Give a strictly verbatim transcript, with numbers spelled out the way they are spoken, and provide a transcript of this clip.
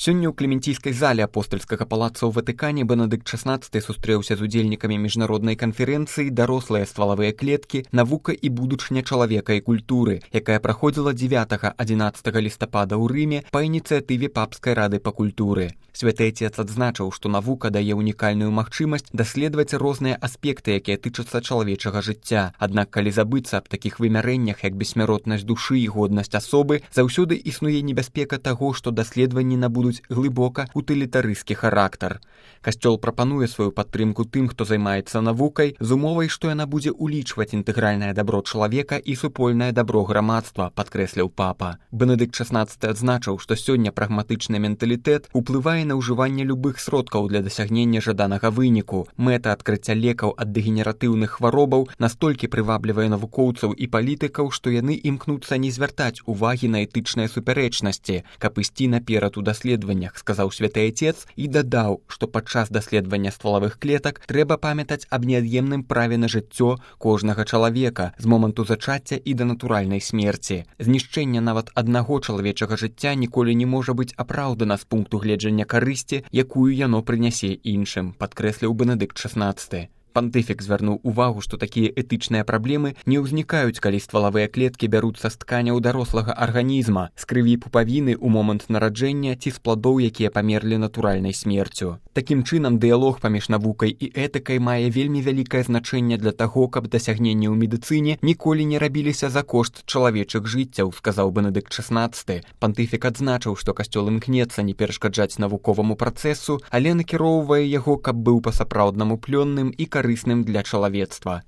Сёння ў клементійскай зале апостальскага палаца ў Ватыкане Бенедыкт шаснаццаты сустрэўся з удзельнікамі міжнароднай канферэнцыі «Дарослыя ствалавыя клеткі. Навука і будучыня чалавека і культуры», якая праходзіла дзевятага-адзінаццатага лістапада ў Рыме па ініцыятыве Папскай рады па культуры. Святы Отец адзначыў, што навука дае унікальную магчымасць даследаваць розныя аспекты, якія тычацца чалавечага жыцця. Аднак, калі забыцца аб такіх вымярэннях, як бессмяротнасць душы і годнасць асобы, заўсёды існуе небяспека таго, што даследаванні набудуць глыбока утылітарысцкі характар. Касцёл прапануе сваю падтрымку тым, хто займаецца навукай, з умовай, што яна будзе улічваць інтэгральнае дабро чалавека і супольнае дабро грамадства, падкрэсліў папа. Бенедыкт шаснаццаты адзначыў, што сёння прагматычны менталітэт уплывае на ўжыванне любых сродкаў для дасягнення жаданага выніку. Мэта адкрыцця лекаў ад дэгенератыўных хваробаў настолькі прываблівае навукоўцаў і палітыкаў, што яны імкнуцца не звяртаць увагі на этычныя супярэчнасці, каб ісці наперад у даследаваннях, сказаў Святы Отец і дадаў, што падчас даследавання ствалавых клетак трэба памятаць аб неад'емным праве на жыццё кожнага чалавека з моманту зачацця і да натуральнай смерці. Знішчэнне нават аднаго чалавечага жыцця ніколі не можа быць апраўдана з пункту гледжання карысці, якую яно прынясе іншым, падкрэсліў Бенедыкт шаснаццаты. Пантыфік звярнуў увагу, што такія этычныя праблемы не ўзнікаюць, калі ствалавыя клеткі бяруцца з тканяў дарослага арганізма, з крыві пупавіны ў момант нараджэння ці з пладоў, якія памерлі натуральнай смерцю. Такім чынам, дыялог паміж навукай і этыкай мае вельмі вялікае значэнне для таго, каб дасягненні ў медыцыне ніколі не рабіліся за кошт чалавечых жыццяў, сказаў Бенедыкт шаснаццаты. Пантыфік адзначыў, што касцёл імкнецца не перашкаджаць навуковаму працэсу, але накіроўвае яго, каб быў па-сапраўднаму плённым і карысным для чалавецтва.